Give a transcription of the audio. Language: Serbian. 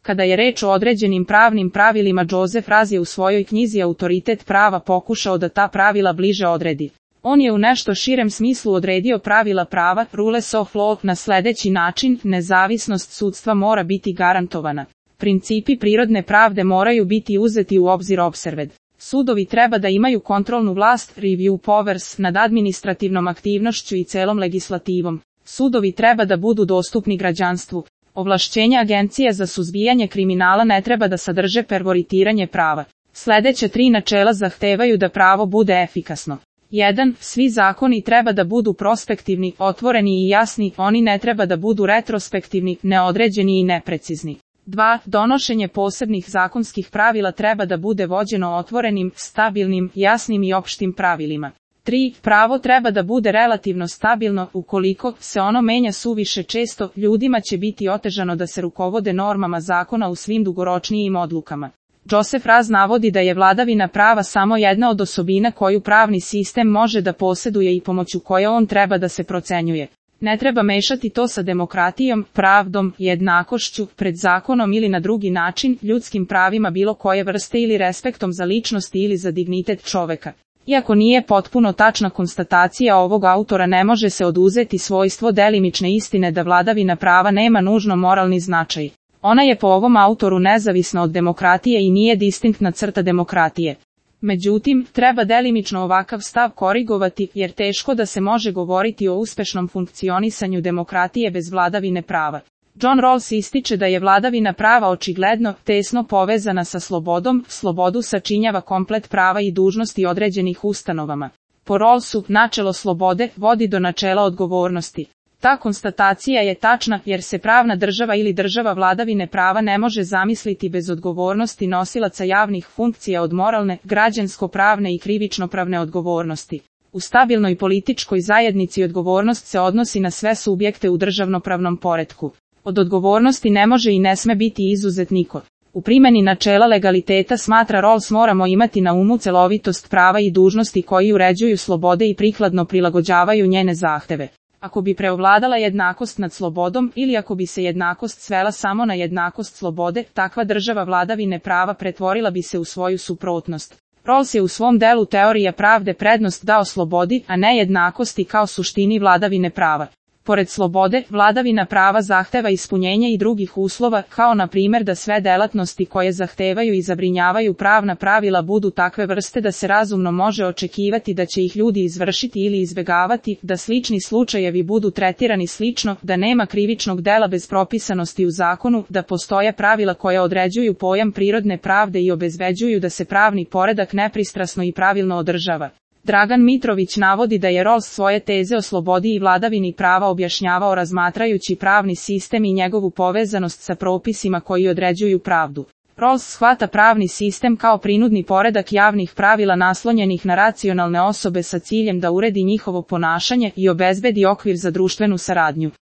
Kada je reč o određenim pravnim pravilima, Joseph Raz je u svojoj knjizi Autoritet prava pokušao da ta pravila bliže odredi. On je u nešto širem smislu odredio pravila prava, rules of law, na sledeći način: nezavisnost sudstva mora biti garantovana. Principi prirodne pravde moraju biti uzeti u obzir observed. Sudovi treba da imaju kontrolnu vlast, review powers, nad administrativnom aktivnošću i celom legislativom. Sudovi treba da budu dostupni građanstvu. Ovlašćenja Agencije za suzbijanje kriminala ne treba da sadrže pervoritiranje prava. Sledeće 3 načela zahtevaju da pravo bude efikasno. 1. Svi zakoni treba da budu prospektivni, otvoreni i jasni, oni ne treba da budu retrospektivni, neodređeni i neprecizni. 2. Donošenje posebnih zakonskih pravila treba da bude vođeno otvorenim, stabilnim, jasnim i opštim pravilima. 3. Pravo treba da bude relativno stabilno, ukoliko se ono menja suviše često, ljudima će biti otežano da se rukovode normama zakona u svim dugoročnijim odlukama. Joseph Raz navodi da je vladavina prava samo jedna od osobina koju pravni sistem može da poseduje i pomoću koje on treba da se procenjuje. Ne treba mešati to sa demokratijom, pravdom, jednakošću, pred zakonom ili na drugi način, ljudskim pravima bilo koje vrste ili respektom za ličnosti ili za dignitet čoveka. Iako nije potpuno tačna konstatacija ovog autora, ne može se oduzeti svojstvo delimične istine da vladavina prava nema nužno moralni značaj. Ona je po ovom autoru nezavisna od demokratije i nije distinktna crta demokratije. Međutim, treba delimično ovakav stav korigovati, jer teško da se može govoriti o uspešnom funkcionisanju demokratije bez vladavine prava. John Rawls ističe da je vladavina prava očigledno tesno povezana sa slobodom, slobodu sačinjava komplet prava i dužnosti određenih ustanovama. Po Rawlsu, načelo slobode vodi do načela odgovornosti. Ta konstatacija je tačna, jer se pravna država ili država vladavine prava ne može zamisliti bez odgovornosti nosilaca javnih funkcija od moralne, građansko-pravne i krivično-pravne odgovornosti. U stabilnoj političkoj zajednici odgovornost se odnosi na sve subjekte u državnopravnom poretku. Od odgovornosti ne može i ne sme biti izuzet niko. U primjeni načela legaliteta, smatra Rawls, moramo imati na umu celovitost prava i dužnosti koji uređuju slobode i prikladno prilagođavaju njene zahteve. Ako bi preovladala jednakost nad slobodom ili ako bi se jednakost svela samo na jednakost slobode, takva država vladavine prava pretvorila bi se u svoju suprotnost. Rawls je u svom delu Teorija pravde prednost dao slobodi, a ne jednakosti kao suštini vladavine prava. Pored slobode, vladavina prava zahteva ispunjenje i drugih uslova, kao na primjer da sve delatnosti koje zahtevaju i zabrinjavaju pravna pravila budu takve vrste da se razumno može očekivati da će ih ljudi izvršiti ili izbegavati, da slični slučajevi budu tretirani slično, da nema krivičnog dela bez propisanosti u zakonu, da postoje pravila koja određuju pojam prirodne pravde i obezbeđuju da se pravni poredak nepristrasno i pravilno održava. Dragan Mitrović navodi da je Rawls svoje teze o slobodi i vladavini prava objašnjavao razmatrajući pravni sistem i njegovu povezanost sa propisima koji određuju pravdu. Rawls shvata pravni sistem kao prinudni poredak javnih pravila naslonjenih na racionalne osobe sa ciljem da uredi njihovo ponašanje i obezbedi okvir za društvenu saradnju.